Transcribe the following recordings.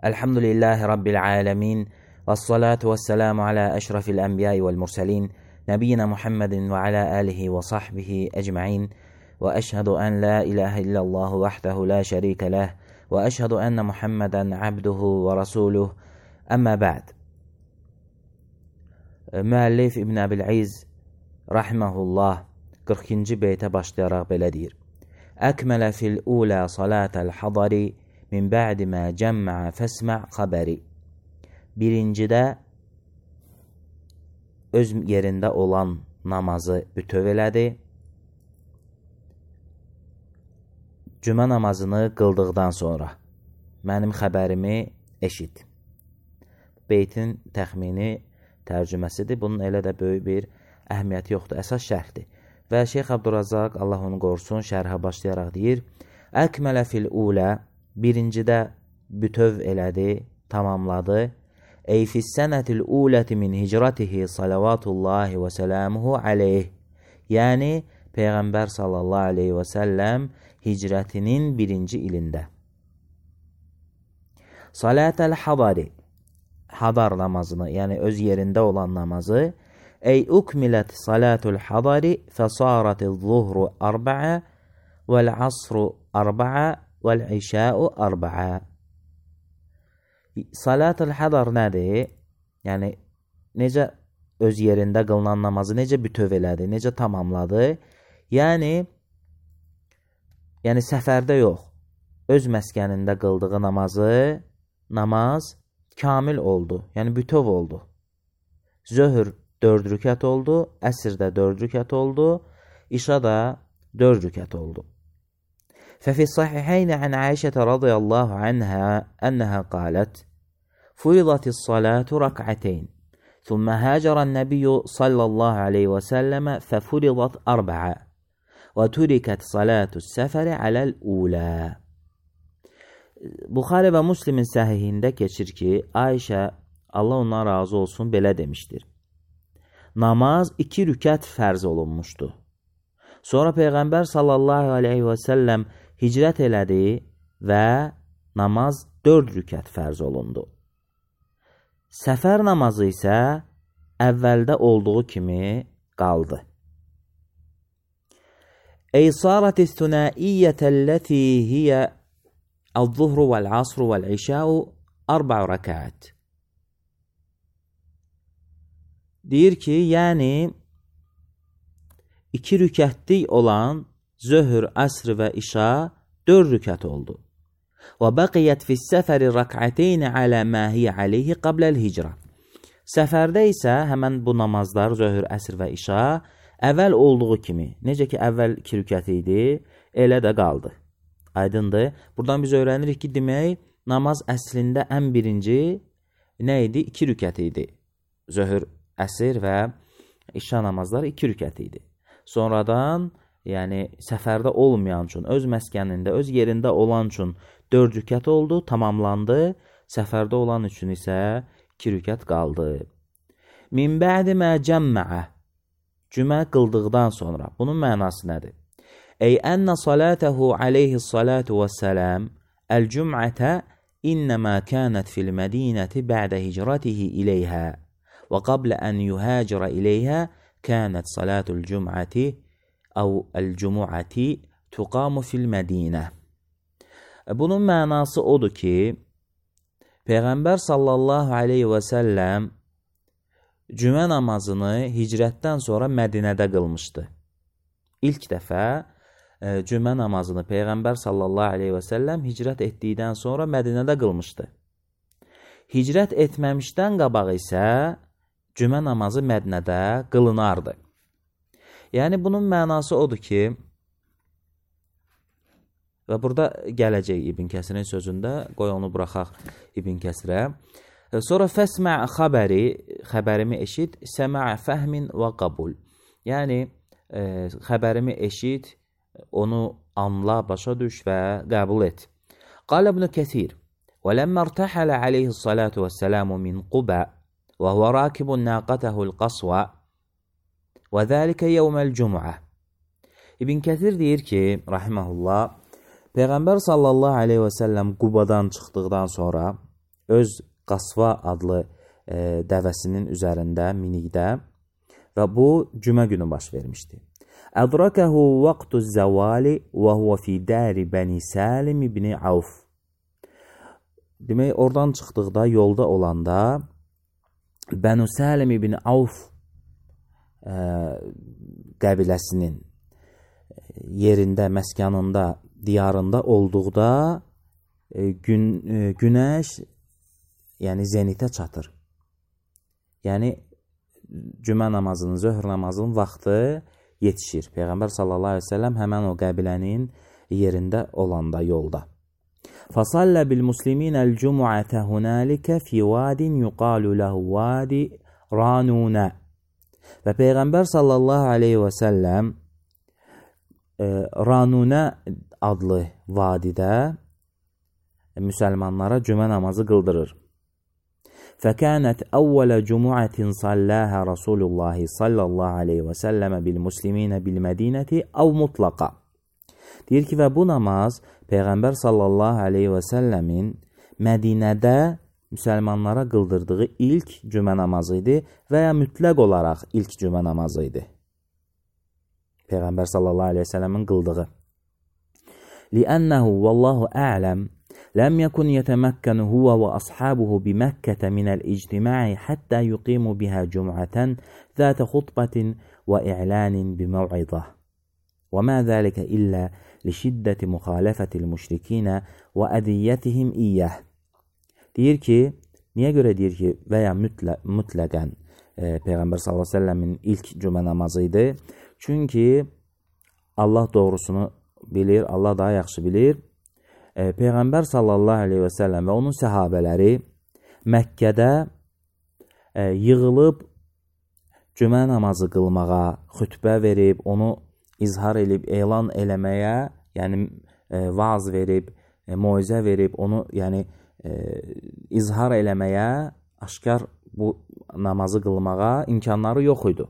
Elhamdülillahi Rabbil alemin. Vessalatu vesselamu ala eşrafil enbiyai vel murselin. Nebiyyina Muhammedin ve ala alihi ve sahbihi ecma'in. Ve eşhedü en la ilahe illallah vahdehu la şerike leh. Ve eşhedü enne Muhammeden abduhu ve rasuluh. Amma ba'd. Müəllif İbn Əbil-İz rahimehullah 40-cı beytə başlayaraq belə deyir. Əkmələ fil ulə salatəl hadari min ba'di mə cəmmə fəsmə xəbəri. Birincidə öz yerində olan namazı bütöv elədi. Cümə namazını qıldıqdan sonra mənim xəbərimi eşit. Beytin təxmini tərcüməsidir. Bunun elə də böyük bir əhəmiyyəti yoxdur. Əsas şərhdir. Və Şeyx Abdurrazzaq, Allah onu qorusun, şərhə başlayaraq deyir. Əkmələ fil ulə, birincidə bütöv elədi, tamamladı. Ey fissənətil uləti min hicratihi salavatullahi və sələmuhu aleyh. Yəni, Peyğəmbər sallallahu aleyhi və səlləm hicrətinin birinci ilində. Salatəl hadari, hadar namazını, yəni öz yerində olan namazı. Ey ukmilət salatul hadari fəsaratil zuhru arba'a vəl asru arba'a vəl işa'u arba'a. Salatul hadar nədir? Yəni, necə öz yerində qılınan namazı necə bütöv elədi, necə tamamladı? Yəni səfərdə yox, öz məskənində qıldığı namaz kamil oldu, yəni bütöv oldu. Zöhr 4 rükət oldu, əsr də 4 rükət oldu, işa da 4 rükət oldu. Fəfi sahiheynə ən Aişətə radiyallahu anhə ənəhə qalət, furidatis salatu rak'ateyn, thumma həcərən nəbiyyü sallallahu aleyhi və səlləmə fəfuridat arba'a və turikət salatus səfəri aləl ulə. Buxari və Müslimin səhihində keçir ki, Ayşə, Allah ondan razı olsun, belə demişdir. Namaz 2 rükət fərz olunmuşdu. Sonra Peyğəmbər sallallahu aleyhi və səlləm hicrət elədi və namaz 4 rükət fərz olundu. Səfər namazı isə əvvəldə olduğu kimi qaldı. Ey sarətis thunaiyyətəlləti hiyə el-zuhru vəl-asru vəl-işa'u 4 rəkət. Deyir ki, yəni 2 rükətlik olan zöhr, əsr və işa 4 rükət oldu. Və bəqiyyət fis-səfəri rək'ateyni alə mə hiyə aleyhi qabləl hicrə. Səfərdə isə həmən bu namazlar, zöhr, əsr və işa əvvəl olduğu kimi, necə ki, əvvəl 2 rükət idi, elə də qaldı. Aydındır. Buradan biz öyrənirik ki, demək, namaz əslində ən birinci nə idi? 2 rükət idi. Zöhr, əsr və işa namazları 2 rükət idi. Sonradan, yəni səfərdə olmayan üçün, öz məskənində, öz yerində olan üçün 4 rükət oldu, tamamlandı. Səfərdə olan üçün isə 2 rükət qaldı. Min bə'di mə cəmmə'ə, cümə qıldıqdan sonra. Bunun mənası nədir? Ey ənə salətəhu aleyhi salatu vəssələm əl-cüm'ətə innəmə kənət fil mədinəti bə'də hicratihi iləyhə və qablə ən yuhəcirə iləyhə kənət salatul cüm'əti əv əl-cüm'əti tuqamu fil mədinə. Bunun mənası odur ki, Peyğəmbər sallallahu aleyhi və səlləm cümə namazını hicrətdən sonra Mədinədə qılmışdı. İlk dəfə cümə namazını Peyğəmbər sallallahu aleyhi və səlləm hicrət etdikdən sonra Mədinədə qılmışdı. Hicrət etməmişdən qabaq isə cümə namazı Mədinədə qılınardı. Yəni, bunun mənası odur ki, və burada gələcək İbn Kəsirin sözündə, qoy onu buraxaq İbn Kəsirə. Sonra fəsmə xəbəri, xəbərimi eşit, səmə fəhmin və qabul. Yəni, xəbərimi eşit, onu anla, başa düş və qəbul et. Qal İbn Kəsir, və ləmmə irtəhələ aleyhissalatu vəssəlamu min Quba və huvə rakibun naqətəhul qasva və zəlikə yevməl cüm'ə. İbn Kəsir deyir ki, rahiməhullah, Peyğəmbər sallallahu aleyhi və səlləm Qubadan çıxdıqdan sonra, öz Qasva adlı dəvəsinin üzərində, minikdə və bu cümə günü baş vermişdi. Ədrakahu vaqtu zəvali və huva fi dari Bəni Salim ibn Avf. Demək, oradan çıxdıqda, yolda olanda Bənu Salim ibn Avf qəbiləsinin yerində, məskanında, diyarında olduqda günəş yəni zenitə çatır. Yəni cümə namazının, zöhr namazının vaxtı yetişir. Peyğəmbər sallallahu əleyhi və səlləm həmən o qəbilənin yerində olanda, yolda. Fasallə bil musliminəl cumu'ətə hunəlikə fi vadin yuqalu ləhu vadi ranunə. Və Peyğəmbər sallallahu əleyhi və səlləm Ranunə adlı vadidə müsəlmanlara cümə namazı qıldırır. فكانت أول جمعة صلاها رسول الله صلى الله عليه وسلم بالمسلمين بالمدينة أو مطلقة. Deyir ki, və bu namaz Peyğəmbər sallallahu aleyhi və səlləmin Mədinədə müsəlmanlara qıldırdığı ilk cümə namazı idi və ya mütləq olaraq ilk cümə namazı idi. Peyğəmbər sallallahu aleyhi və səlləmin qıldığı. لِأَنَّهُ وَاللَّهُ أَعْلَمُ لم يكن يتمكن هو وأصحابه بمكة من الاجتماع حتى يقيموا بها جمعة ذات خطبة وإعلان بموعظة وما ذلك إلا لشدة مخالفة المشركين وأذيتهم إياه. Deyir ki, niyə görə deyir ki, və ya mütləqən Peyğəmbər sallallahu əleyhi və səlləmin ilk cümə namazı idi? Çünki Allah doğrusunu bilir, Allah daha yaxşı bilir. Peyğəmbər sallallahu aleyhi və səlləm və onun səhabələri Məkkədə yığılıb cümə namazı qılmağa, xütbə verib, onu izhar edib, elan eləməyə, yəni vaaz verib, moizə verib, onu yəni izhar eləməyə, aşkar bu namazı qılmağa imkanları yox idi.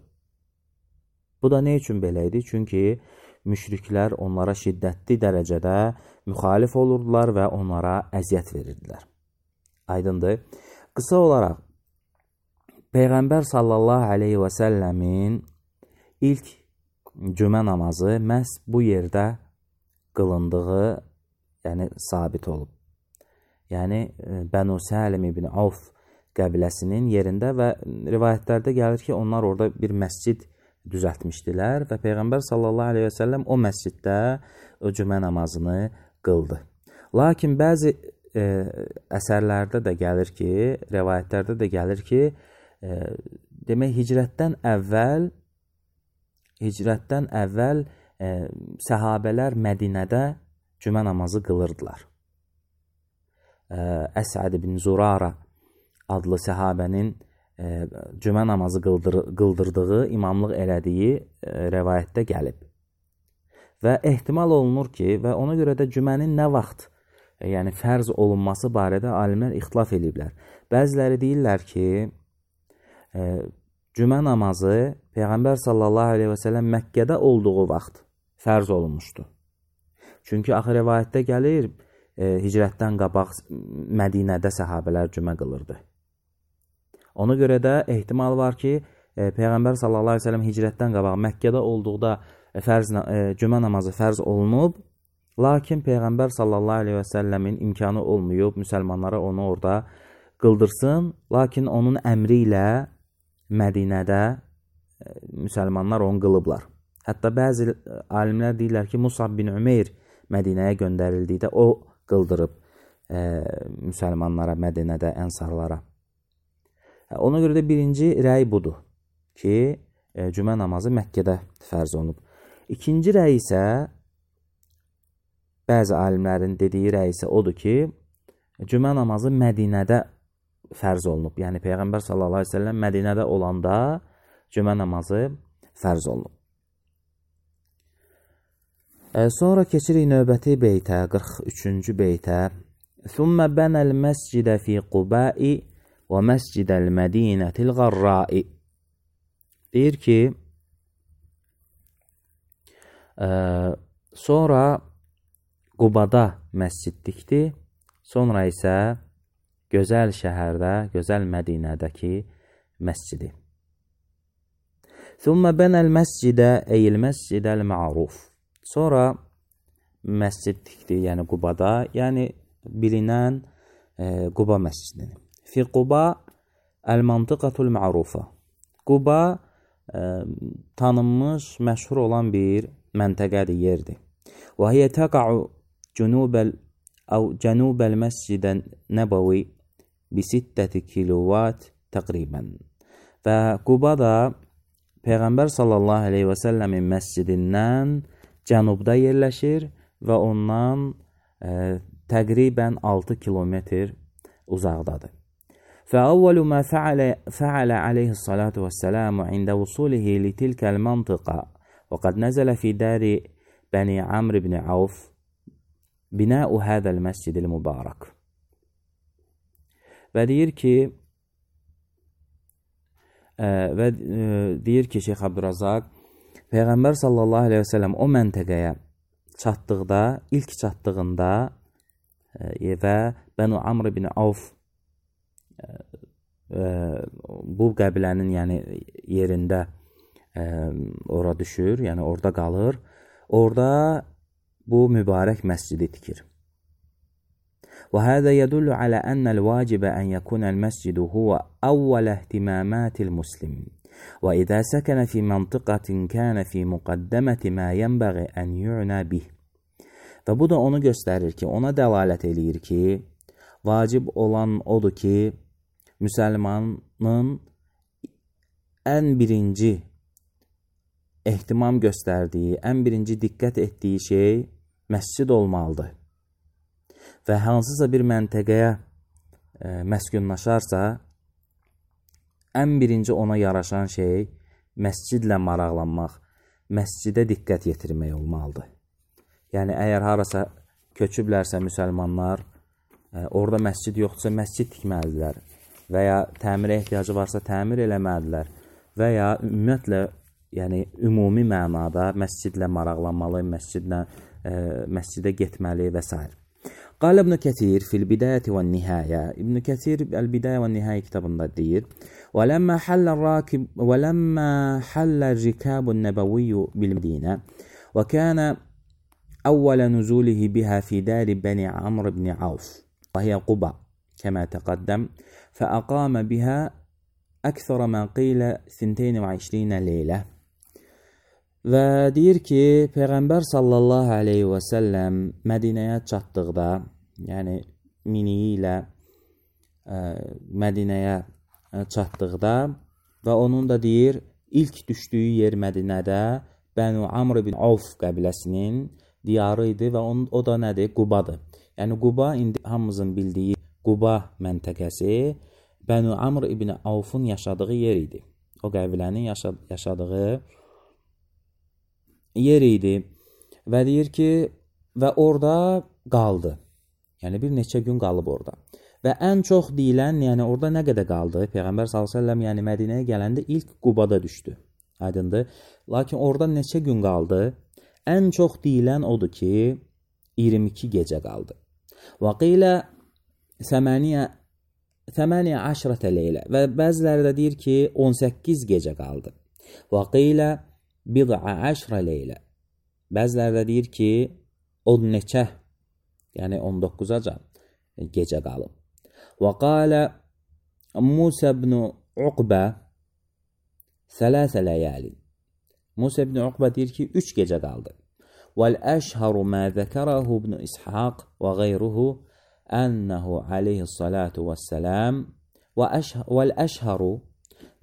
Bu da nə üçün belə idi? Çünki müşriklər onlara şiddətli dərəcədə müxalif olurdular və onlara əziyyət verirdilər. Aydındır. Qısa olaraq, Peyğəmbər sallallahu aleyhi və səlləmin ilk cümə namazı məhz bu yerdə qılındığı, yəni sabit olub. Yəni Bənu Salim ibn Avf qəbiləsinin yerində və rivayətlərdə gəlir ki, onlar orada bir məscid düzəltmişdilər və Peyğəmbər sallallahu aleyhi və səlləm o məsciddə o cümə namazını qıldı. Lakin bəzi əsərlərdə də gəlir ki, rivayətlərdə də gəlir ki, demək hicrətdən əvvəl səhabələr Mədinədə cümə namazı qılırdılar. Əsəd ibn Zurara adlı səhabənin cümə namazı qıldırdığı, imamlıq elədiyi rəvayətdə gəlib. Və ehtimal olunur ki, və ona görə də cümənin nə vaxt, yəni fərz olunması barədə alimlər ixtilaf ediblər. Bəziləri deyirlər ki, cümə namazı Peyğəmbər sallallahu aleyhi və səlləm Məkkədə olduğu vaxt fərz olunmuşdu. Çünki axı rəvayətdə gəlir, hicrətdən qabaq Mədinədə səhabələr cümə qılırdı. Ona görə də ehtimal var ki, Peyğəmbər sallallahu aleyhi və səlləm hicrətdən qabaq Məkkədə olduqda cümə namazı fərz olunub, lakin Peyğəmbər sallallahu aleyhi və səlləmin imkanı olmayıb, müsəlmanlara onu orada qıldırsın, lakin onun əmri ilə Mədinədə müsəlmanlar onu qılıblar. Hətta bəzi alimlər deyirlər ki, Musab bin Ümeyr Mədinəyə göndərildikdə o qıldırıb müsəlmanlara, Mədinədə, ənsarlara. Ona görə də birinci rəy budur ki, cümə namazı Məkkədə fərz olunub. İkinci rəy isə, bəzi alimlərin dediyi rəy isə odur ki, cümə namazı Mədinədə fərz olunub. Yəni, Peyğəmbər sallallahu aleyhi ve sellem Mədinədə olanda cümə namazı fərz olunub. Sonra keçirik növbəti beytə, 43-cü beytə. ثُمَّ بَنَى الْمَسْجِدَ فِي قُبَاءِ وَمَسْجِدَ الْمَدِينَةِ الْغَرَّاءِ. Deyir ki, sonra Qubada məscid dikdi, sonra isə gözəl şəhərdə, gözəl Mədinədəki məscidi. Thumma banal məscidə eyl məscidəl ma'ruf. Sonra məscid tikdi, yəni Qubada, yəni bilinən Quba məscidini. Fi Quba el-mantıqatul ma'rufa. Quba tanınmış, məşhur olan bir məntəqədir, yerdir. Və hiyə təqa'u cənubel məscidən nəbəvi bi 6 kilovat təqribən. Və Quba da Peyğəmbər sallallahu aleyhi və səlləmin məscidindən cənubda yerləşir və ondan təqribən 6 kilometr uzaqdadır. فأول ما فعل عليه الصلاة والسلام عند وصوله لتلك المنطقة وقد نزل في دار بني عمرو بن عوف بناء هذا المسجد المبارك. Və deyir ki Şeyx Abdurrazaq, Peyğəmbər sallallahu aleyhi və səlləm o məntəqəyə çatdıqda, ilk çatdığında və Bənu Amr ibn Avf bu qəbilənin yəni yerində ora düşür, yəni orada qalır. Orada bu mübarək məscidi tikir. وهذا يدل على أن الواجب أن يكون المسجد هو أول اهتمامات المسلم وإذا سكن في منطقة كان في مقدمة ما ينبغي أن يعنى به. Və bu da onu göstərir ki, ona dəlalət eləyir ki, vacib olan odur ki, müsəlmanın ən birinci ehtimam göstərdiyi, ən birinci diqqət etdiyi şey məscid olmalıdır. Və hansısa bir məntəqəyə məskunlaşarsa, ən birinci ona yaraşan şey məscidlə maraqlanmaq, məscidə diqqət yetirmək olmalıdır. Yəni, əgər harasa köçüblərsə müsəlmanlar, orada məscid yoxdursa, məscid tikməlidirlər və ya təmirə ehtiyacı varsa, təmir eləməlidirlər və ya ümumiyyətlə, yəni ümumi mənada məscidlə maraqlanmalı, məscidə getməli və s. قال ابن كثير في البداية والنهاية. ابن كثير البداية والنهاية كتابنا الدير. ولما حل الركاب النبوي بالمدينة وكان أول نزوله بها في دار بني عمرو بن عوف وهي قباء كما تقدم، فأقام بها أكثر ما قيل 22 ليلة. Və deyir ki, Peyğəmbər sallallahu aleyhi və səlləm Mədinəyə çatdıqda, yəni miniyi ilə Mədinəyə çatdıqda və onun da deyir, ilk düşdüyü yer Mədinədə Bənu Amr ibn Avf qəbiləsinin diyarı idi və o da nədir? Qubadır. Yəni Quba indi hamımızın bildiyi Quba məntəqəsi Bənu Amr ibn Avfun yaşadığı yer idi. O qəbilənin yaşadığı yer idi və deyir ki, və orada qaldı. Yəni bir neçə gün qalıb orada. Və ən çox deyilən, yəni orada nə qədər qaldı? Peyğəmbər s.ə.v yəni Mədinəyə gələndə ilk Qubada düşdü. Aydındır. Lakin orada neçə gün qaldı? Ən çox deyilən odur ki, 22 gecə qaldı. Və qilə 18 leylə və bəziləri də deyir ki, 18 gecə qaldı. Və qilə 10 leylə. Bəziləri də deyir ki, 10 neçə, yəni 19-aca gecə qalıb. Və qalə Musa ibn Uqbə 3 ləyəli. Musa ibn Uqbə deyir ki, 3 gecə qaldı. Vəl-əşharu mə zəkərəhu ibn İshaq və qeyruhu ənəhu aleyhissalatu vəssələm vəl-əşharu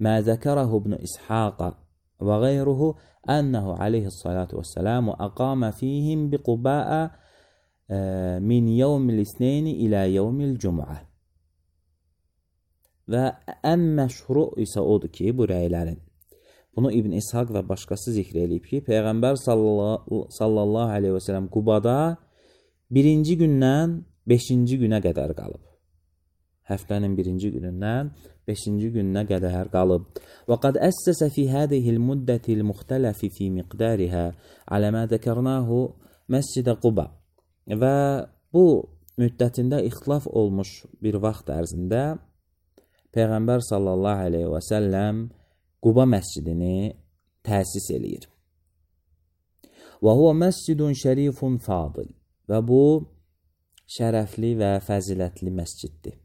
mə zəkərəhu ibn İshaq və qeyruhu ənəhu aleyhissalatu vəssələm əqamə fihim biqubəə min yevmil isneyni ilə yevmil cüm'ə. Və ən məşhuru isə odur ki, bu rəylərin. Bunu İbn İshaq və başqası zikr edib ki, Peyğəmbər sallallahu aleyhi və səlləm Qubada 1-ci gündən 5-ci günə qədər qalıb. Həftənin 1-ci günündən 5-ci gününə qədər qalıb. Və qad əssəsə fi hədihil müddətil müxtələfi fi miqdarihə alə mə zəkərnahu məscidə Quba. Və bu müddətində ixtilaf olmuş bir vaxt ərzində Peyğəmbər sallallahu aleyhi və səlləm Quba məscidini təsis eləyir. Və huwa məscidun şərifun fadil. Və bu şərəfli və fəzilətli məsciddir.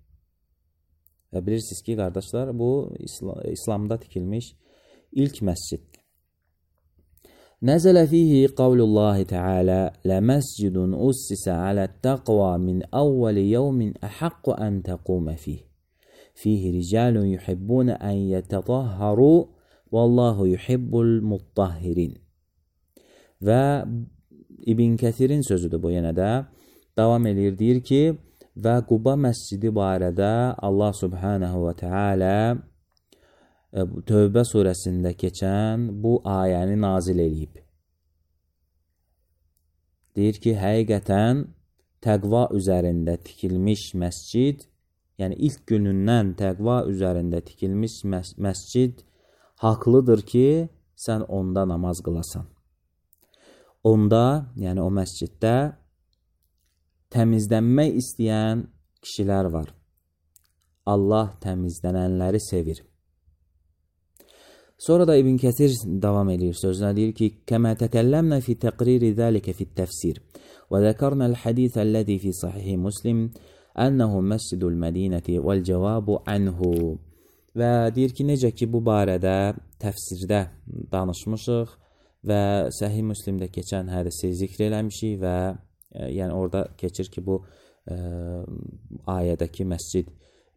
Və bilirsiniz ki, qardaşlar, bu İslamda tikilmiş ilk məsciddir. Nəzələ fihi qavlullahi Teala ləməscidun ussisə alə't-təqva min əvvəli yevmin əhəqqu ən təqumə fih. Fihi ricalun yuhibbun ən yətətahharu vallahu yuhibbul muttahhirin. Və İbn Kəsirin sözüdür bu yenə də. Davam edir, deyir ki, və Quba məscidi barədə Allah subhanahu və teala Tövbə surəsində keçən bu ayəni nazil eləyib. Deyir ki, həqiqətən təqva üzərində tikilmiş məscid, yəni ilk günündən təqva üzərində tikilmiş məscid haqlıdır ki, sən onda namaz qılasan. Onda, yəni o məsciddə təmizlənmək istəyən kişilər var. Allah təmizlənənləri sevir. Sonra da İbn Kəsir davam edir sözünə, deyir ki, kəmə təkəlləmnə fi təqriri zəlikə fi təfsir və zəkərnəl hədithəlləzi fi sahih Muslim ənəhu məscidul mədinəti vəl cəvabu anhu. Və deyir ki, necə ki, bu barədə təfsirdə danışmışıq və Səhih Müslimdə keçən hədisi zikr eləmişik və yəni orada keçir ki, bu ayədəki məscid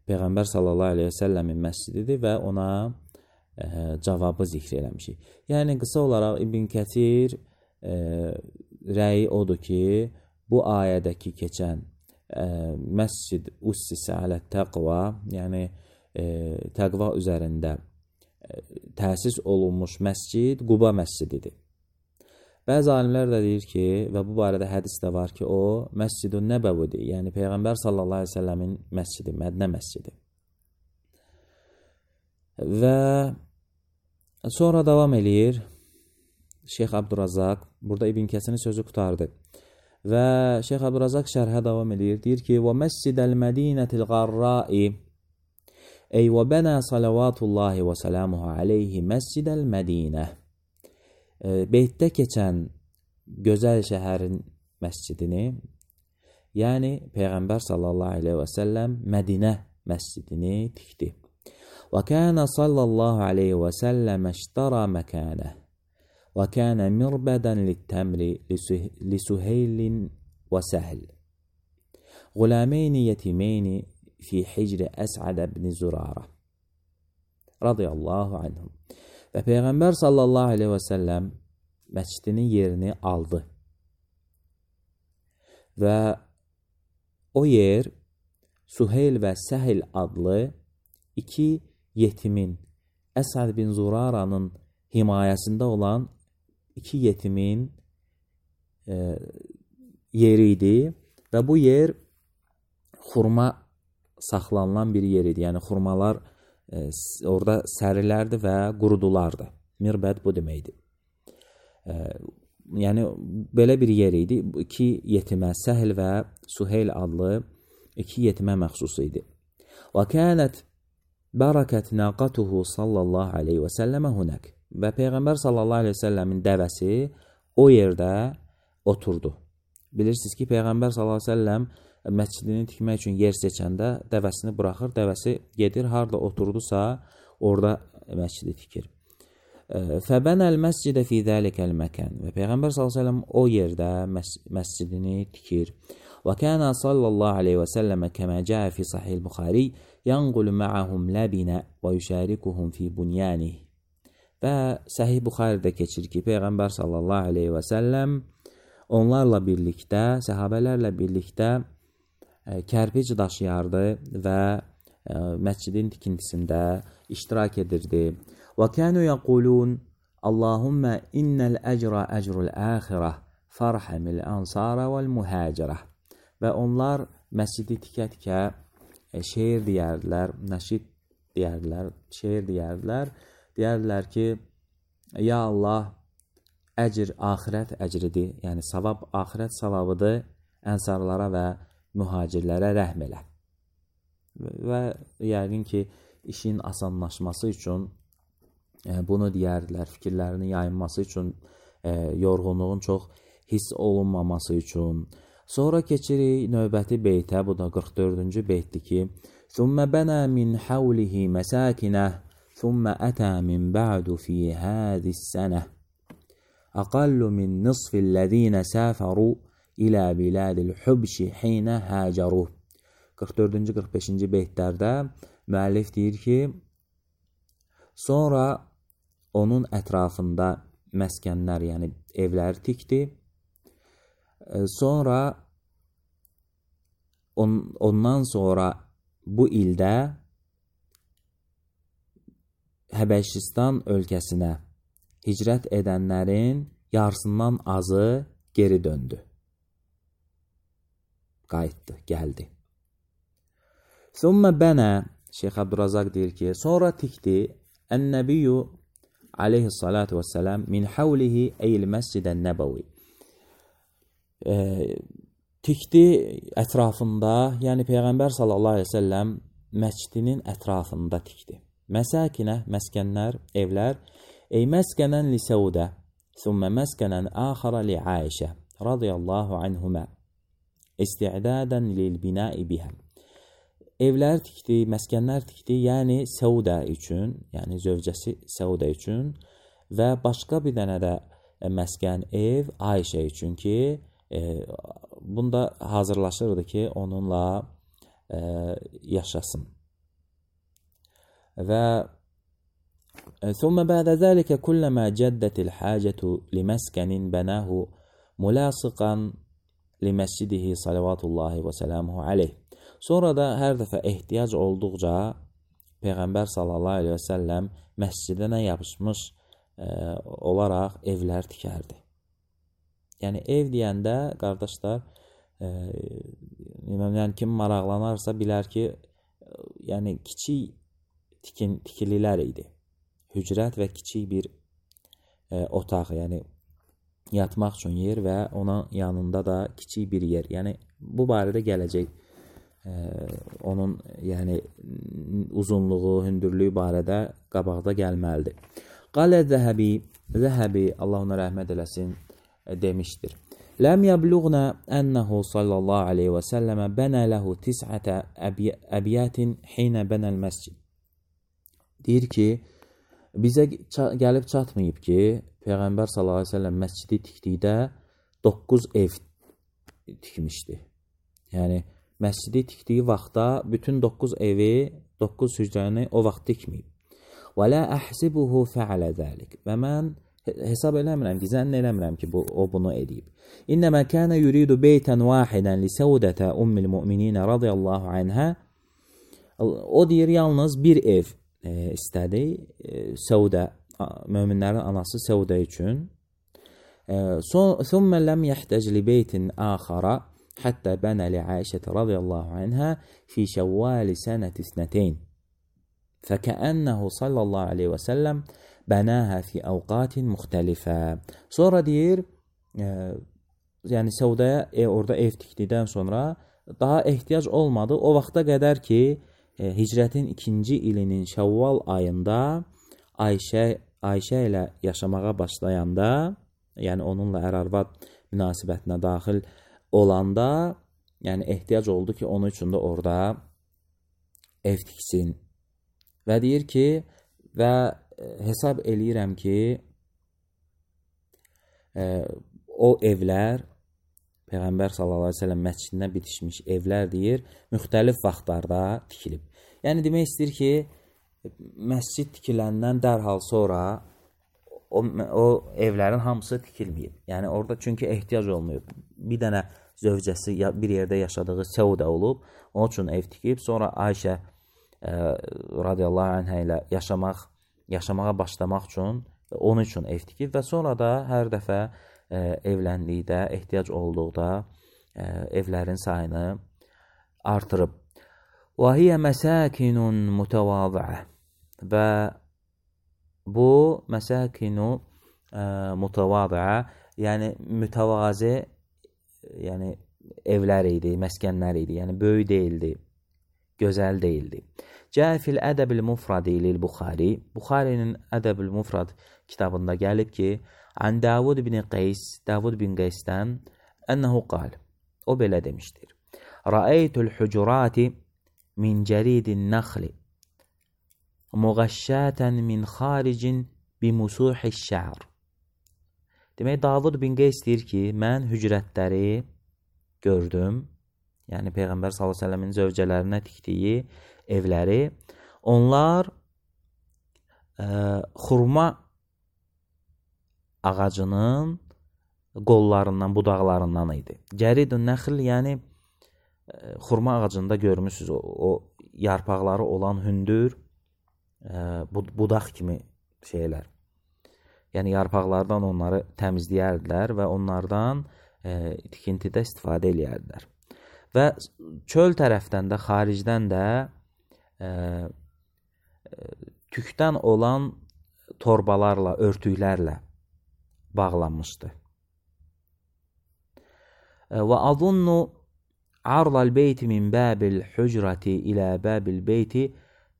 Peyğəmbər sallallahu aleyhi və səlləmin məscididir və ona cavabı zikr eləmişik. Yəni qısa olaraq İbn Kəsir rəyi odur ki, bu ayədəki keçən məscid ussisə alə't-təqva, yəni təqva üzərində təsis olunmuş məscid Quba məscididir. Bəzi alimlər də deyir ki, və bu barədə hədis də var ki, o Məscid-ün Nəbəvidir, yəni Peyğəmbər sallallahu aleyhi ve səlləmin məscidi, Mədinə məscidi. Və sonra davam eləyir Şeyx Abdurrazaq, burada İbn Kəsirin sözü qutardı. Və Şeyx Abdurrazaq şərhə davam eləyir, deyir ki, və məscidəl mədinətil qarrai ey və bənə salavatullahi və salamuhu aleyhi məscidəl mədinə. Beytdə keçən gözəl şəhərin məscidini, yəni Peyğəmbər sallallahu aleyhi və səlləm Mədinə məscidini tikdi. Və kənə sallallahu aleyhi və səlləm əştara məkənə və kənə mirbədən littəmri lisuheylin və səhl. Qulameyni yetimeyni fi hicri Əs'ad ibn Zurara radiyallahu anhum. Və Peyğəmbər sallallahu aleyhi və səlləm məscidinin yerini aldı. Və o yer Suheyl və Səhl adlı iki yetimin, Əs'ad bin Zurara'nın himayəsində olan iki yetimin yeri idi. Və bu yer xurma saxlanılan bir yer idi. Yəni xurmalar orada sərilərdi və qurudulardı. Mirbəd bu deməkdir. Yəni belə bir yer idi. İki yetimə, Səhl və Suheyl adlı iki yetimə məxsus idi. Və kənət bərəkət naqatuhu sallallahu aleyhi və səlləmə hunək. Və Peyğəmbər sallallahu aleyhi və səlləmin dəvəsi o yerdə oturdu. Bilirsiniz ki, Peyğəmbər sallallahu aleyhi və səlləm məscidini tikmək üçün yer seçəndə dəvəsini buraxır, dəvəsi gedir, harada oturdusa orada məscidi tikir. Fəbənəl məscidə fi zəlikəl məkən. Və Peyğəmbər s.ə.v o yerdə məscidini tikir. Və kənə sallallahu aleyhi və səlləmə kəmə cəə fi sahih Buxari yanqulu mə'ahum ləbinə və yüşərikuhum fi bunyanih. Və Səhih Buxaridə keçir ki, Peyğəmbər sallallahu aleyhi və səlləm onlarla birlikdə, səhabələrlə birlikdə kərpic daşıyardı və məscidin tikintisində iştirak edirdi. Və kənu yəqulun Allahümmə innəl əcrə əcrul əxirə farhamil ansara vəl mühəcirə. Və onlar məscidi tikə-tikə şeir deyərdilər, nəşid deyərdilər, şeir deyərdilər. Deyərdilər ki, ya Allah, əcr axirət əcridir, yəni savab axirət savabıdır ənsarlara və mühacirlərə rəhm elə. Və yəqin ki, işin asanlaşması üçün bunu deyərdilər, fikirlərini yayınması üçün, yorğunluğun çox hiss olunmaması üçün. Sonra keçirik növbəti beytə, bu da 44-cü beytdir ki, ثُمَّ بَنَى مِنْ حَوْلِهِ مَسَاكِنَهُ ثُمَّ أَتَى مِنْ بَعْدُ فِي هَذِهِ السَّنَةِ أَقَلُّ مِنْ نِصْفِ الَّذِينَ سَافَرُوا إِلَى بِلَادِ الْحُبْشِ حِينَ هَاجَرُوا. 44-cü 45-ci beytlərdə müəllif deyir ki, sonra onun ətrafında məskənlər, yəni evlər tikdi. Sonra ondan sonra bu ildə Həbəşistan ölkəsinə hicrət edənlərin yarısından azı geri döndü. Qayıtdı, gəldi. Thumma bana, Şeyx Abdurazaq deyir ki, sonra tikdi Ən-Nəbiyyu aleyhissalatu vesselam min havlihi eyl məscidən nəbəvi. Tikdi ətrafında, yəni Peyğəmbər sallallahu aleyhi ve sellem məscidinin ətrafında tikdi. Məsəkinə, məskənlər, evlər, ey məskənən li Səudə, thumma məskənən axara li Aişə, radiyallahu anhumə, isti'dadən lil binai bihə. Evlər tikdi, məskənlər tikdi, yəni Səudə üçün, yəni zövcəsi Səudə üçün və başqa bir dənə də məskən ev Ayşə üçün ki, bunda hazırlaşırdı ki, onunla yaşasın. Və ثم بعد ذلك كلما جدت الحاجة لمسكن بناه ملاصقا لمسجده صلوات الله وسلامه عليه. Sonra da hər dəfə ehtiyac olduqca Peyğəmbər sallallahu aleyhi və səlləm məscidinə yapışmış olaraq evlər tikərdi. Yəni ev deyəndə, qardaşlar, yəni kim maraqlanarsa bilər ki, yəni kiçik tikililər idi. Hücrət və kiçik bir otaq, yəni yatmaq üçün yer və onun yanında da kiçik bir yer. Yəni bu barədə gələcək onun yəni uzunluğu, hündürlüyü barədə qabaqda gəlməlidir. Qalə Zəhəbi, Allah ona rəhmət eləsin, demişdir. Ləm yəbluğna ənəhu sallallahu aleyhi və səlləmə bənə ləhu tis'ətə əbiyyətin xeynə bənəl məscid. Deyir ki, bizə gəlib çatmayıb ki, Peyğəmbər sallallahu aleyhi və səlləm məscidi tikdikdə 9 ev tikmişdi. Yəni, məscidi tikdiyi vaxtda bütün 9 evi, 9 hücrəni o vaxt tikməyib. Və lə əhsibuhu fəalə zəlik. Və mən hesab eləmirəm ki, zənn eləmirəm ki, o bunu edib. İnnəmə kənə yuridu beytən vahidən li səudətə ummil mümininə radiyallahu anhə. O deyir, yalnız bir ev istədi Səudə, möminlərin anası Səudə üçün. Thumma lam yahtəc li beytin axara hatta bana li Aişə radiyallahu anha fi Şəvval sənət isnəteyn. Fəkəənnəhu sallallahu aleyhi və səlləm bənəhə fi əvqatin müxtəlifə. Sonra deyir, yəni Səudəyə orada ev tikdikdən sonra daha ehtiyac olmadı. O vaxta qədər ki, hicrətin 2-ci ilinin Şəvval ayında Ayşə ilə yaşamağa başlayanda, yəni onunla ər-arvad münasibətinə daxil olanda, yəni ehtiyac oldu ki, onun üçün də orada ev tiksin. Və deyir ki, və hesab eləyirəm ki, o evlər, Peyğəmbər sallallahu aleyhi ve sellem məscidinə bitişmiş evlər deyir, müxtəlif vaxtlarda tikilib. Yəni demək istəyir ki, məscid tikiləndən dərhal sonra o evlərin hamısı tikilməyib. Yəni orada çünki ehtiyac olmayıb. Bir dənə zövcəsi bir yerdə yaşadığı Səudə olub, onun üçün ev tikib, sonra Ayşə radiyallahu anhə ilə yaşamağa başlamaq üçün, onun üçün ev tikib və sonra da hər dəfə evləndikdə, ehtiyac olduqda evlərin sayını artırıb. Və hiyə məsəkinun mütəvazıə. Və bu məsəkinu mütəvazıə, yəni mütəvazı, yəni evlər idi, məskənlər idi. Yəni böyük deyildi, gözəl deyildi. Cəə fil ədəbil mufradi lil Buxari. Buxarinin Ədəbil Mufrad kitabında gəlib ki, an Davud bin Qays, Davud bin Qaysdən ənəhu qal. O belə demişdir. Ra'aytul hucurati min cəridin naxli muğəşşətən min xaricin bimusuhiş şə'r. Demək, Davud bin Qays deyir ki, mən hücrətləri gördüm. Yəni Peyğəmbər sallallahu əleyhi və səlləmin zövcələrinə tikdiyi evləri. Onlar xurma ağacının qollarından, budaqlarından idi. Cəridun nəxl, yəni xurma ağacında görmüsünüz o yarpaqları olan hündür budaq kimi şeylər. Yəni yarpaqlardan onları təmizləyərdilər və onlardan tikintidə istifadə eləyərdilər. Və çöl tərəfdən də, xaricdən də tükdən olan torbalarla, örtüklərlə bağlanmışdı. Və azunnu arlal beyti min babil hücrati ilə babil beyti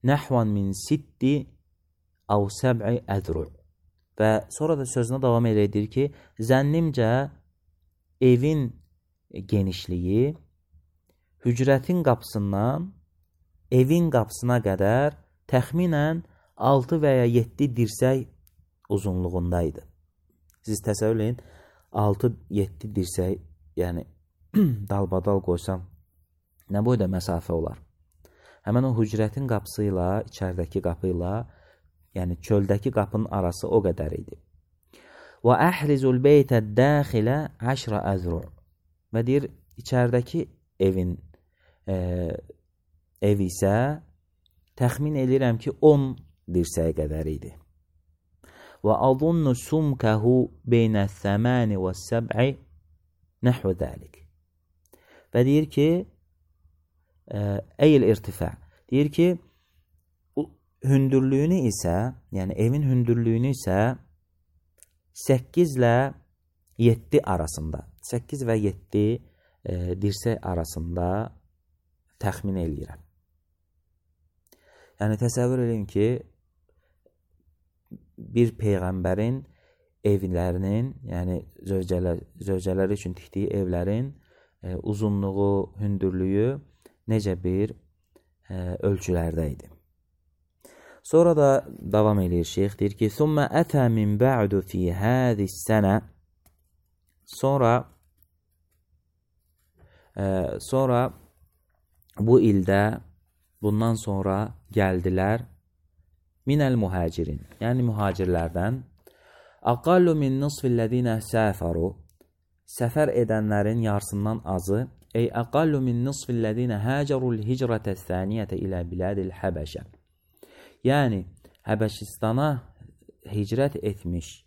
nəhvan min 6 əv 7 əzru. Və sonra da sözünə davam edir ki, zənnimcə evin genişliyi hücrətin qapısından evin qapısına qədər təxminən 6 və ya 7 dirsək uzunluğundaydı. Siz təsəvvür edin, 6-7 dirsək, yəni dalbadal qoysam nə boyda məsafə olar? Həmən o hücrətin qapısı ilə, içərdəki qapı ilə, yəni çöldəki qapının arası o qədər idi. Və əhrizul beytə dəxilə 10 əzru. Və deyir, içərdəki evin ev isə təxmin edirəm ki, 10 dirsəyə qədər idi. Və azunnu sumkəhu beynə 8 və 7 nəhvə dəlik. Və deyir ki, əyil irtifa. Deyir ki, hündürlüyünü isə, yəni evin hündürlüyünü isə 8 ilə 7 arasında, 8 və 7 dirsək arasında təxmin eləyirəm. Yəni təsəvvür edin ki, bir peyğəmbərin evlərinin, yəni zövcələr üçün tikdiyi evlərin uzunluğu, hündürlüyü necə bir ölçülərdə idi. Sonra da davam edir şeyx, deyir ki, ثُمَّ أَتَى مِنْ بَعْدُ فِي هَذِي السَّنَةِ Sonra bu ildə, bundan sonra gəldilər minəl muhacirin, yəni mühacirlərdən aqallu min nisfillədinə səfəru, səfər edənlərin yarısından azı, ey aqallu min nisfillədinə həcərul hicrətə thəniyyətə ilə bilədil Həbəşə, yəni Həbəşistana hicrət etmiş,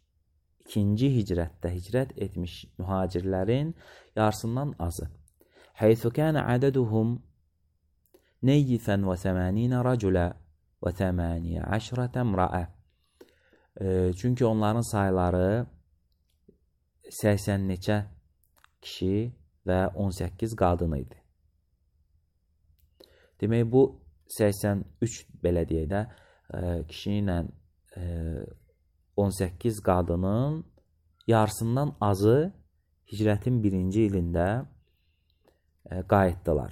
ikinci hicrətdə hicrət etmiş mühacirlərin yarısından azı. Həythu kənə ədəduhum neyyifən və 80 rəculə və 18 əmrəə. Çünki onların sayları 80 neçə kişi və 18 qadın idi. Demək, bu 83 belə deyək də, kişi ilə 18 qadının yarısından azı hicrətin birinci ilində qayıtdılar.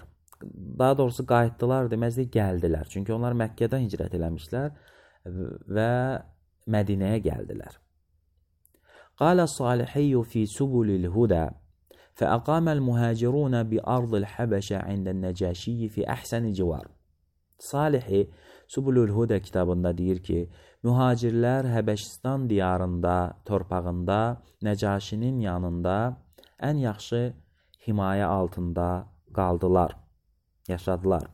Daha doğrusu qayıtdılar deməzdi, gəldilər. Çünki onlar Məkkədən hicrət eləmişlər və Mədinəyə gəldilər. Qalə Salihiyyu fi subulil huda fəəqaməl muhacirunə bi ardil Həbəşə ində nəcəşiyyi fi əhsəni civar. Salihi Subulul Huda kitabında deyir ki, mühacirlər Həbəşistan diyarında, torpağında, Nəcaşinin yanında ən yaxşı himayə altında qaldılar, yaşadılar.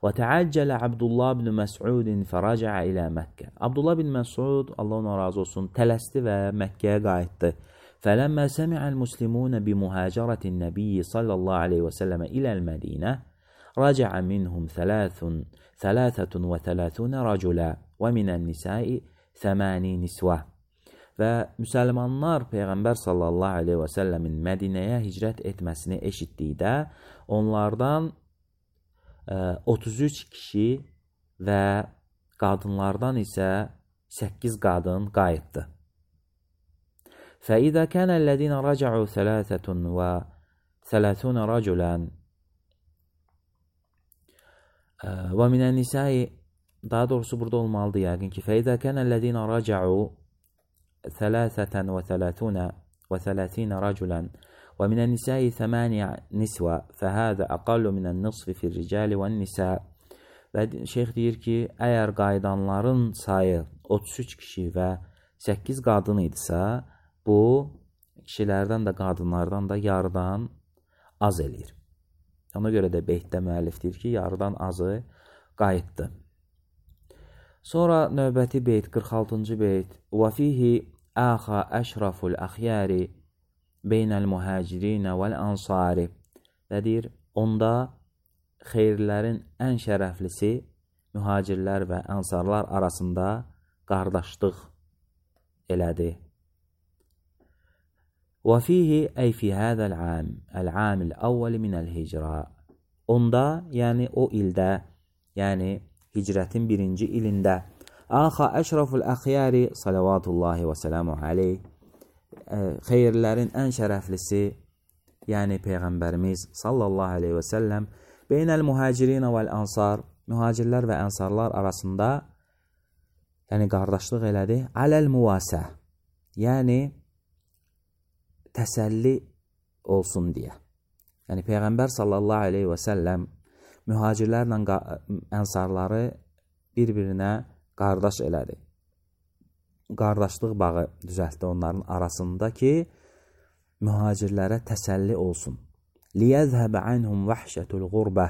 Və təəccələ Abdullah ibn Məs'udin fərəcəə ilə Məkkə. Abdullah ibn Məs'ud, Allah ona razı olsun, tələsdi və Məkkəyə qayıtdı. Fələmmə səmi'əl muslimunə bi muhacərətin nəbiyyi sallallahu aleyhi və səlləmə iləl Mədinə rəcəə minhum 33 rəculə və minən nisai 8 nisvə. və müsəlmanlar Peyğəmbər sallallahu aleyhi və səlləmin Mədinəyə hicrət etməsini eşitdikdə onlardan 33 kişi və qadınlardan isə 8 qadın qayıtdı. فإذا كان الذين رجعوا 33 رجلا ومن النساء daha doğrusu burada olmalıdır yəqin ki فإذا كان الذين رجعوا 33 رجلا ومن النساء 8 نسوة فهذا أقل من النصف في الرجال والنساء. Və şeyx deyir ki, əgər qayıdanların sayı 33 kişi və 8 qadın idisə, bu kişilərdən də qadınlardan da yarıdan az eləyir. Ona görə də beytdə müəllif deyir ki, yarıdan azı qayıtdı. Sonra növbəti beyt, 46-cı beyt. وَفِيهِ آخَ أَشْرَفُ الْأَخْيَارِ بَيْنَ الْمُهَاجِرِينَ وَالْأَنْصَارِ. Və deyir, onda xeyirlərin ən şərəflisi mühacirlər və ənsarlar arasında qardaşlıq elədi. وَفِيهِ أي في هذا العام الأول من الهجرة. Onda, yəni o ildə, yəni hicrətin birinci ilində Axa əşraful əxyari salavatullahi və selamu aleyh, xeyirlərin ən şərəflisi, yəni Peyğəmbərimiz sallallahu aleyhi və səlləm beynəl mühacirinə vəl ansar, mühacirlər və ənsarlar arasında, yəni qardaşlıq elədi, aləl müvasə, yəni təsəlli olsun deyə. Yəni Peyğəmbər sallallahu aleyhi və səlləm mühacirlərlə ənsarları bir-birinə qardaş elədi. Qardaşlıq bağı düzəltdi onların arasında ki, mühacirlərə təsəlli olsun. لِيَذْهَبَ عَنْهُمْ وَحْشَةُ الْغُرْبَةِ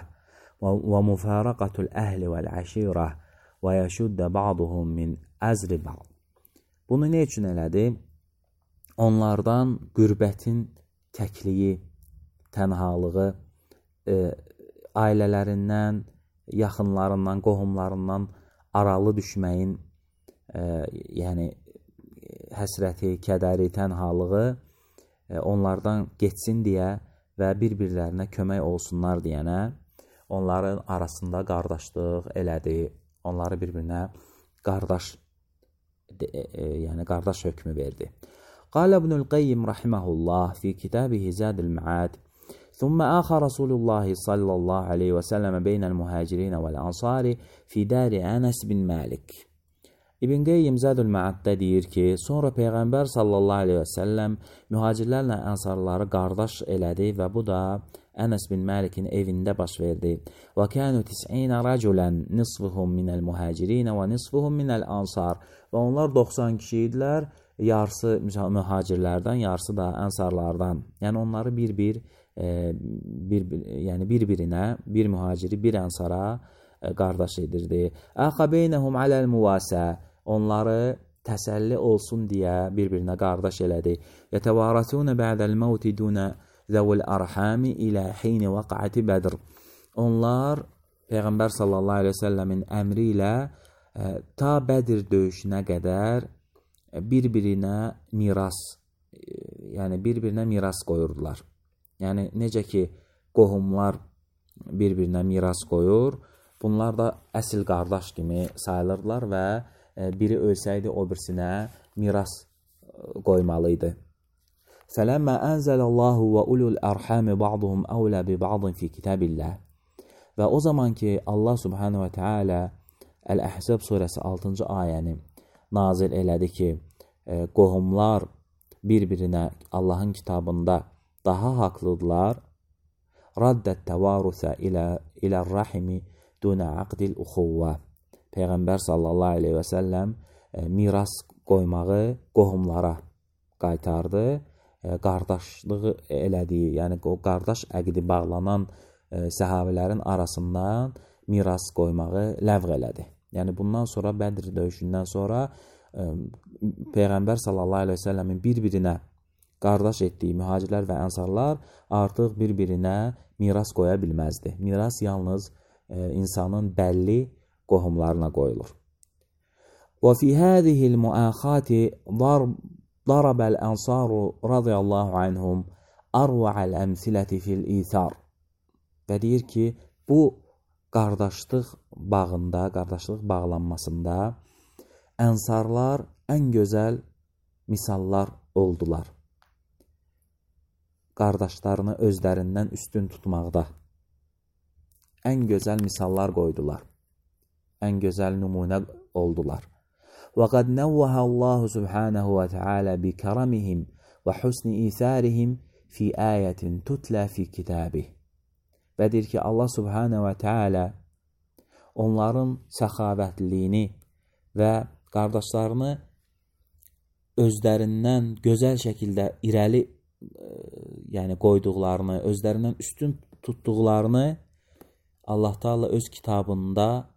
وَمُفَارَقَةُ الْأَهْلِ وَالْعَشِيرَةِ وَيَشُدَّ بَعْضُهُمْ مِنْ أَزْرِ بَعْضٍ. Bunu ne üçün elədi? Onlardan qürbətin təkliyi, tənhalığı, ailələrindən, yaxınlarından, qohumlarından aralı düşməyin, yəni həsrəti, kədəri, tənhalığı onlardan geçsin deyə və bir-birlərinə kömək olsunlar deyənə onların arasında qardaşlıq elədi. Onları bir-birinə qardaş, yəni qardaş hökmü verdi. قال ابن القيم رحمه الله في كتابه زاد المعاد ثم آخى رسول الله صلى الله عليه وسلم بين المهاجرين والأنصار في دار أنس بن مالك. İbn Qeyyim Zadul Ma'addə deyir ki, sonra Peyğəmbər sallallahu aleyhi və səlləm mühacirlərlə ənsarları qardaş elədi və bu da Ənəs bin Məlikin evində baş verdi. Və kənu 90 rəculən nisfuhum minəl mühacirin və nisfuhum minəl ansar. Və onlar 90 kişi idilər, yarısı mühacirlərdən, yarısı da ənsarlardan. Yəni onları bir-birinə, bir mühaciri, bir ənsara qardaş edirdi. Əxə beynəhum aləl müvasə, onları təsəlli olsun deyə bir-birinə qardaş elədi. Yətəvarətunə bə'dəl məvti dunə zəvul ərhami ilə heyni vəqəti Bədr. Onlar Peyğəmbər sallallahu aleyhi ve səlləmin əmri ilə ta Bədir döyüşünə qədər bir-birinə miras, yəni bir-birinə miras qoyurdular. Yəni necə ki qohumlar bir-birinə miras qoyur, bunlar da əsl qardaş kimi sayılırlar və biri ölsəydi o birisinə miras qoymalıydı. Fələmmə ənzəlallahu və ulul ərhami ba'duhum əvlə bi ba'din fi kitabillah. Və o zaman ki Allah subhanahu və teala Əl-Əhzab surəsi 6-cı ayəni nazil elədi ki, qohumlar bir-birinə Allahın kitabında daha haqlıdırlar. Raddət təvarusə ilə rəhimi dunə aqdil uxuvvə. Peyğəmbər sallallahu aleyhi və səlləm miras qoymağı qohumlara qaytardı. Qardaşlığı elədiyi, yəni o qardaş əqdi bağlanan səhabilərin arasından miras qoymağı ləğv elədi. Yəni bundan sonra Bədir döyüşündən sonra Peyğəmbər sallallahu aleyhi və səlləmin bir-birinə qardaş etdiyi mühacirlər və ənsarlar artıq bir-birinə miras qoya bilməzdi. Miras yalnız insanın bəlli qohumlarına qoyulur. وفي هذه المؤاخاة ضرب الأنصار رضي الله عنهم أروع الأمثلة في الإيثار. Və deyir ki, bu qardaşlıq bağında, qardaşlıq bağlanmasında ənsarlar ən gözəl misallar oldular. Qardaşlarını özlərindən üstün tutmaqda ən gözəl misallar qoydular. Ən gözəl nümunə oldular. وَقَدْ نَوَّهَ اللّٰهُ سُبْحَانَهُ وَتَعَالَى بِكَرَمِهِمْ وَحُسْنِ إِيثَارِهِمْ فِي آيَةٍ تُتْلَى فِي كِتَابِهِ. Və deyir ki, Allah Subhanahu və Teala onların səxavətliyini və qardaşlarını özlərindən gözəl şəkildə irəli qoyduqlarını, özlərindən üstün tutduqlarını Allah Teala öz kitabında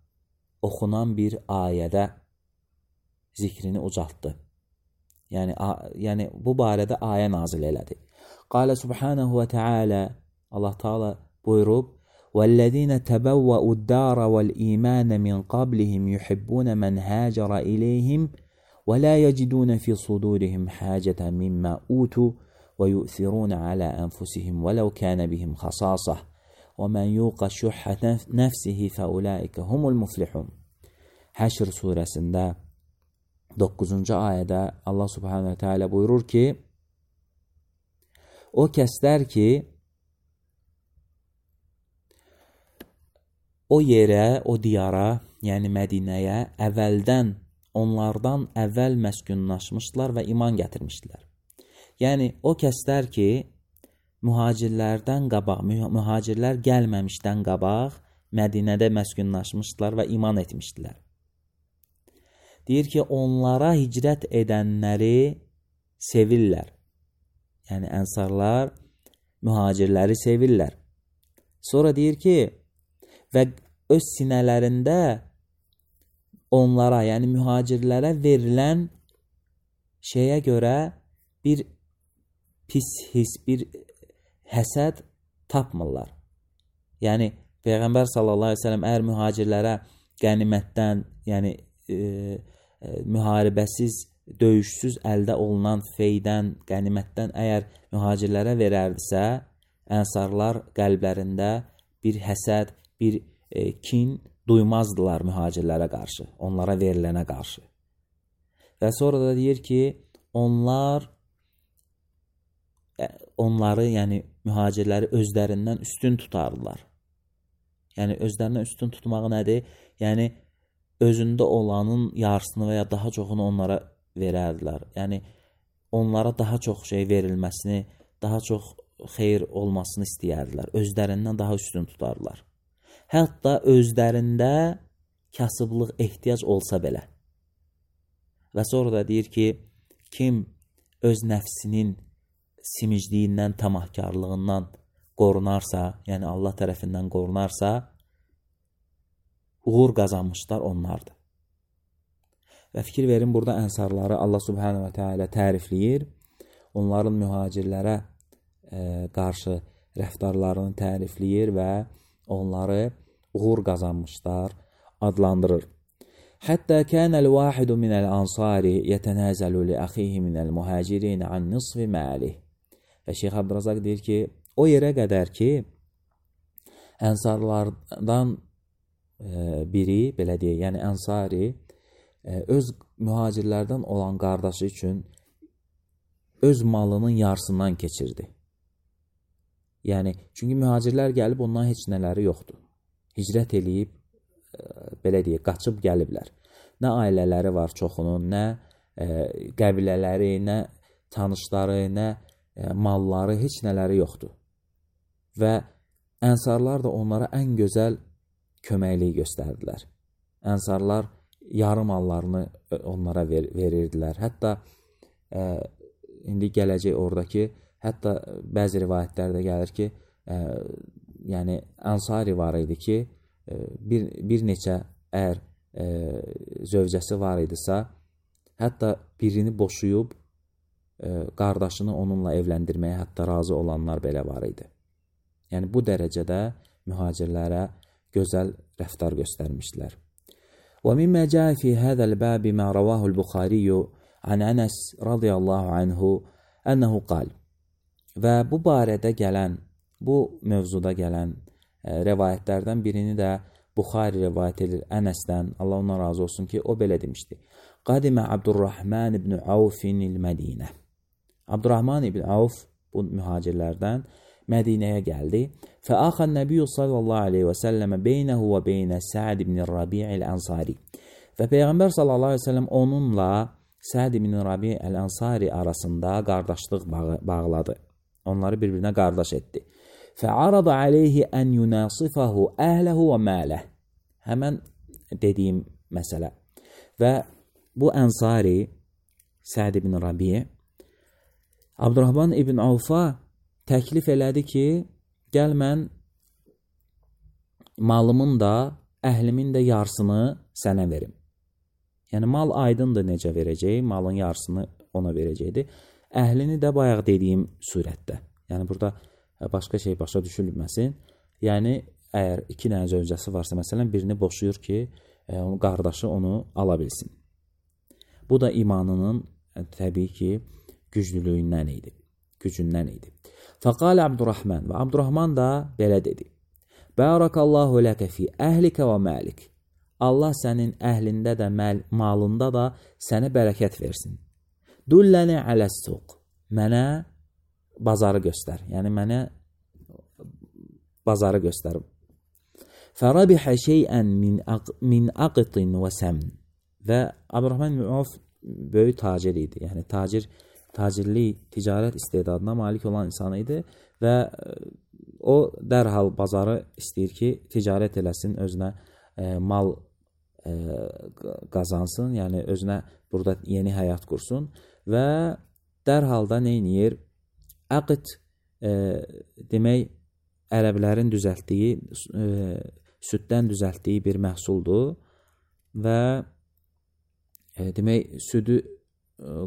oxunan bir ayədə zikrini ucaltdı. Yəni bu barədə ayə nazil elədi. Qalə Subhanahu və Teala, Allah Teala buyurub: وَالَّذِينَ تَبَوَّأُوا الدَّارَ وَالْإِيمَانَ مِنْ قَبْلِهِمْ يُحِبُّونَ مَنْ هَاجَرَ إِلَيْهِمْ وَلَا يَجِدُونَ فِي صُدُورِهِمْ حَاجَةً مِمَّا أُوتُوا وَيُؤْثِرُونَ عَلَى أَنفُسِهِمْ وَلَوْ كَانَ بِهِمْ خَصَاصَةٌ وَمَنْ يُوقَ شُحَّ نَفْسِهِ فَأُولَٰئِكَ هُمُ الْمُفْلِحُونَ. Həşr surəsində 9-cu ayədə Allah Subhanahu və Teala buyurur ki, o kəslər ki, o yerə, o diyara, yəni Mədinəyə onlardan əvvəl məskunlaşmışlar və iman gətirmişdilər. Yəni, o kəslər ki, mühacirlər gəlməmişdən qabaq Mədinədə məskunlaşmışlar və iman etmişdilər. Deyir ki, onlara hicrət edənləri sevirlər. Yəni, ənsarlar mühacirləri sevirlər. Sonra deyir ki, və öz sinələrində onlara, yəni mühacirlərə verilən şeyə görə bir pis his, bir həsəd tapmırlar. Yəni, Peyğəmbər sallallahu aleyhi ve sellem əgər mühacirlərə qənimətdən, yəni müharibəsiz, döyüşsüz əldə olunan feydən, qənimətdən əgər mühacirlərə verərdisə, ənsarlar qəlblərində bir həsəd, bir kin duymazdılar mühacirlərə qarşı, onlara verilənə qarşı. Və sonra da deyir ki, onları, yəni mühacirləri özlərindən üstün tutardılar. Yəni özlərindən üstün tutmaq nədir? Yəni özündə olanın yarısını və ya daha çoxunu onlara verərdilər. Yəni onlara daha çox şey verilməsini, daha çox xeyir olmasını istəyərdilər. Özlərindən daha üstün tutardılar. Hətta özlərində kasıblıq ehtiyac olsa belə. Və sonra da deyir ki, kim öz nəfsinin simicliyindən, tamahkarlığından qorunarsa, yəni Allah tərəfindən qorunarsa, uğur qazanmışlar onlardır. Və fikir verin, burada ənsarları Allah Subhanahu və Teala tərifləyir. Onların mühacirlərə qarşı rəftarlarını tərifləyir və onları uğur qazanmışlar adlandırır. Hətta kənəl vahidu minəl ansari yətənəzəlu li əxihi minəl muhacirin an nisfi məlih. Və Şeyx Abdrazaq deyir ki, o yerə qədər ki, ənsarlardan biri, belə deyək, yəni ənsari, öz mühacirlərdən olan qardaşı üçün öz malının yarısından keçirdi. Yəni, çünki mühacirlər gəlib, ondan heç nələri yoxdur. Hicrət eləyib, belə deyək, qaçıb gəliblər. Nə ailələri var çoxunun, nə qəbilələri, nə tanışları, nə malları, heç nələri yoxdur. Və ənsarlar da onlara ən gözəl köməkliyi göstərdilər. Ənsarlar yarım mallarını onlara verirdilər. Hətta indi gələcək oradakı, hətta bəzi rivayətlərdə gəlir ki, yəni ənsari var idi ki, bir neçə əgər zövcəsi var idisə, hətta birini boşuyub qardaşını onunla evləndirməyə hətta razı olanlar belə var idi. Yəni bu dərəcədə mühacirlərə gözəl rəftar göstərmişdilər. ومما جاء في هذا الباب ما رواه البخاري عن أنس رضي الله عنه أنه قال. Və bu barədə gələn, bu mövzuda gələn rivayətlərdən birini də Buxari rivayət edir Ənəsdən, Allah ondan razı olsun ki, o belə demişdi. Qadimə Abdurrahman ibn Avfinil Mədinə. Abdurrahman ibn Avf bu mühacirlərdən Mədinəyə gəldi. Fəaxən Nəbiyyü sallallahu aleyhi və səlləmə beynəhu və beynə Səd ibn Rabi'il Ənsari. Və Peyğəmbər sallallahu aleyhi və səlləm onunla Səd ibn Rabi'il Ənsari arasında qardaşlıq bağladı. Onları bir-birinə qardaş etdi. Fəarada aleyhi ən yunasifahu əhləhu və mələh. Həmən dediyim məsələ. Və bu Ənsari, Səd ibn Rabi' Abdurrahman ibn Avfa təklif elədi ki, gəl mən malımın da, əhlimin də yarısını sənə verim. Yəni, mal aydındır necə verəcək, malın yarısını ona verəcəkdir. Əhlini də bayaq dediyim surətdə. Yəni, burada başqa şey başa düşülməsin. Yəni, əgər 2 dənə zövcəsi varsa, məsələn, birini boşuyur ki, qardaşı onu ala bilsin. Bu da imanının təbii ki, güclülüyündən idi, gücündən idi. Fəqalə Abdurrahman və Abdurrahman da belə dedi. Bərakallahu ləkə fi əhlikə və məlik. Allah sənin əhlində də, malında da sənə bərəkət versin. Dulləni aləs-suq. Mənə bazarı göstər. Yəni, mənə bazarı göstərim. Fərabihə şeyən min aqtin və səmn. Və Abdurrahman ibn Avf böyük tacir idi. Yəni, tacirlik, ticarət istedadına malik olan insan idi və o dərhal bazarı istəyir ki, ticarət eləsin, özünə mal qazansın, yəni özünə burada yeni həyat qursun və dərhal da neyniyir? Əqd demək, ərəblərin düzəltdiyi, süddən düzəltdiyi bir məhsuldur və demək, südü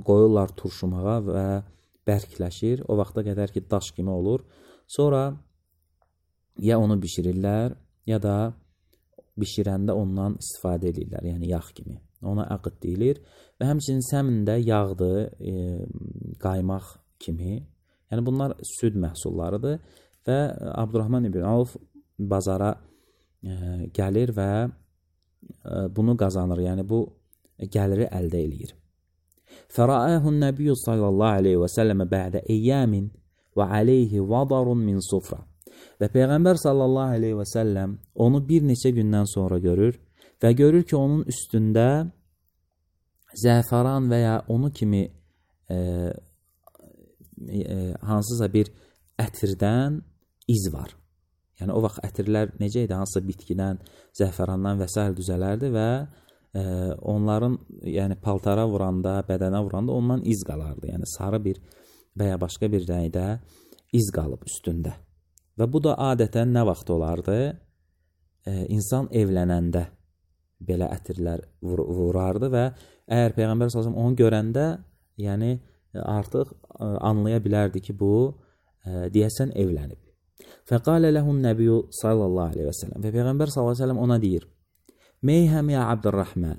qoyurlar turşumağa və bərkləşir. O vaxta qədər ki, daş kimi olur. Sonra ya onu bişirirlər, ya da bişirəndə ondan istifadə edirlər, yəni yağ kimi. Ona əqd deyilir və həmçinin səmin də yağdır, qaymaq kimi. Yəni, bunlar süd məhsullarıdır və Abdurrahman ibn Avf bazara gəlir və bunu qazanır, yəni bu gəliri əldə edir. Fərəəhun Nəbiyyü sallallahu aleyhi və səlləmə bə'də eyyamin və aleyhi vadarun min sufra. Və Peyğəmbər sallallahu aleyhi və səlləm onu bir neçə gündən sonra görür və görür ki, onun üstündə zəfəran və ya onu kimi hansısa bir ətirdən iz var. Yəni, o vaxt ətirlər necə idi? Hansısa bitkidən, zəfərandan və s. düzələrdi və onların, yəni paltara vuranda, bədənə vuranda ondan iz qalardı. Yəni, sarı bir və ya başqa bir rəngdə iz qalıb üstündə. Və bu da adətən nə vaxt olardı? İnsan evlənəndə belə ətirlər vurardı və əgər Peyğəmbər s.ə.v onu görəndə, yəni artıq anlaya bilərdi ki, bu deyəsən evlənib. Fəqalə ləhun nəbiyyü sallallahu aleyhi və səlləm. Və Peyğəmbər sallallahu aleyhi və səlləm ona deyir, Meyhəm ya Abdurrahman,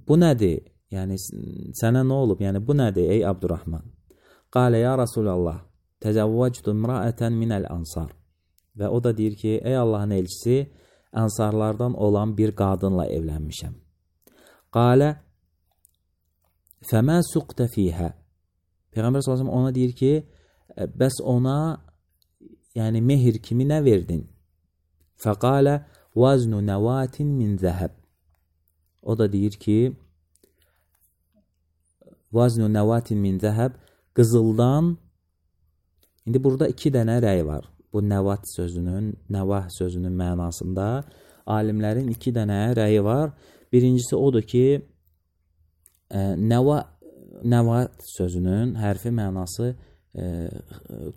bu nədir? Yəni, sənə nə olub? Yəni, bu nədir ey Abdurrahman? Qalə ya Rasulallah, təzəvvəcdü imraətən minəl ansar. Və o da deyir ki, ey Allahın elçisi, ansarlardan olan bir qadınla evlənmişəm. Qalə, fəmə suqtə fiyhə. Peyğəmbər s.ə.v ona deyir ki, bəs ona, yəni mehir kimi nə verdin? Fəqalə, vaznu nəvatin min zəhəb. O da deyir ki, vaznu nəvatin min zəhəb, qızıldan, indi burada 2 dənə rəy var. Bu nəvat sözünün, nəvah sözünün mənasında alimlərin 2 dənə rəyi var. Birincisi odur ki, nəvat sözünün hərfi mənası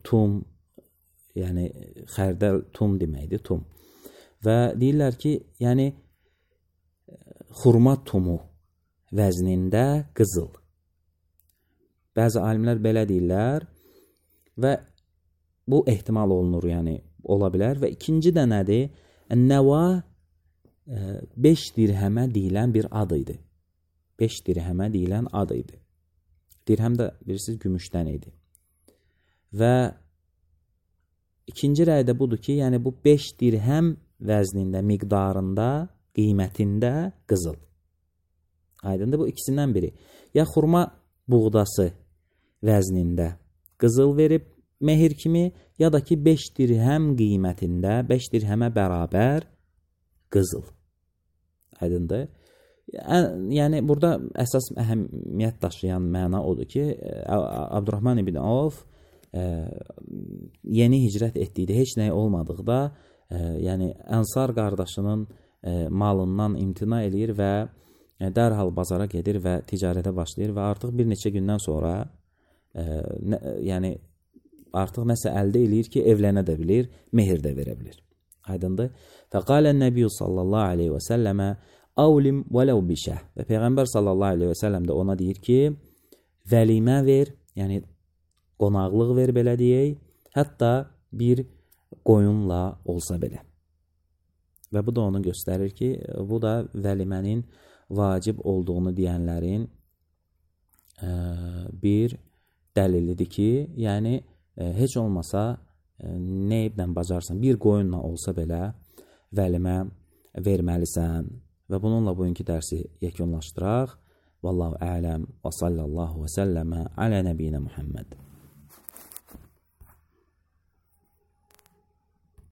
tum, yəni xərdəl tum deməkdir, tum. Və deyirlər ki, yəni xurma tumu vəznində qızıl. Bəzi alimlər belə deyirlər və bu ehtimal olunur, yəni ola bilər. Və ikinci də nədir? Nəva 5 dirhəmə deyilən bir ad idi. 5 dirhəmə deyilən ad idi. Dirhəm də bilirsiniz gümüşdən idi. Və ikinci rəy də budur ki, yəni bu 5 dirhəm vəznində, miqdarında, qiymətində qızıl. Aydındır, bu ikisindən biri. Ya xurma buğdası vəznində qızıl verib mehir kimi, ya da ki 5 dirhəm qiymətində, 5 dirhəmə bərabər qızıl. Aydındır. Yəni burada əsas əhəmiyyət daşıyan məna odur ki, Abdurrahman ibn Avf yeni hicrət etdikdə, heç nəyi olmadıqda, yəni Ənsar qardaşının malından imtina eləyir və dərhal bazara gedir və ticarətə başlayır və artıq bir neçə gündən sonra yəni artıq nəsə əldə eləyir ki, evlənə də bilir, mehir də verə bilir. Aydındır. Fəqalən Nəbiyyu sallallahu aleyhi və səlləmə avlim vələv bişəh. Və Peyğəmbər sallallahu aleyhi və səlləm də ona deyir ki, vəlimə ver, yəni qonaqlıq ver, belə deyək, hətta bir qoyunla olsa belə. Və bu da onu göstərir ki, bu da vəlimənin vacib olduğunu deyənlərin bir dəlilidir ki, yəni heç olmasa nə iblə bacarsan, bir qoyunla olsa belə vəlimə verməlisən. Və bununla bugünkü dərsi yekunlaşdıraq. Vallahu ələm və sallallahu və səlləmə alə nəbiyinə Muhammed.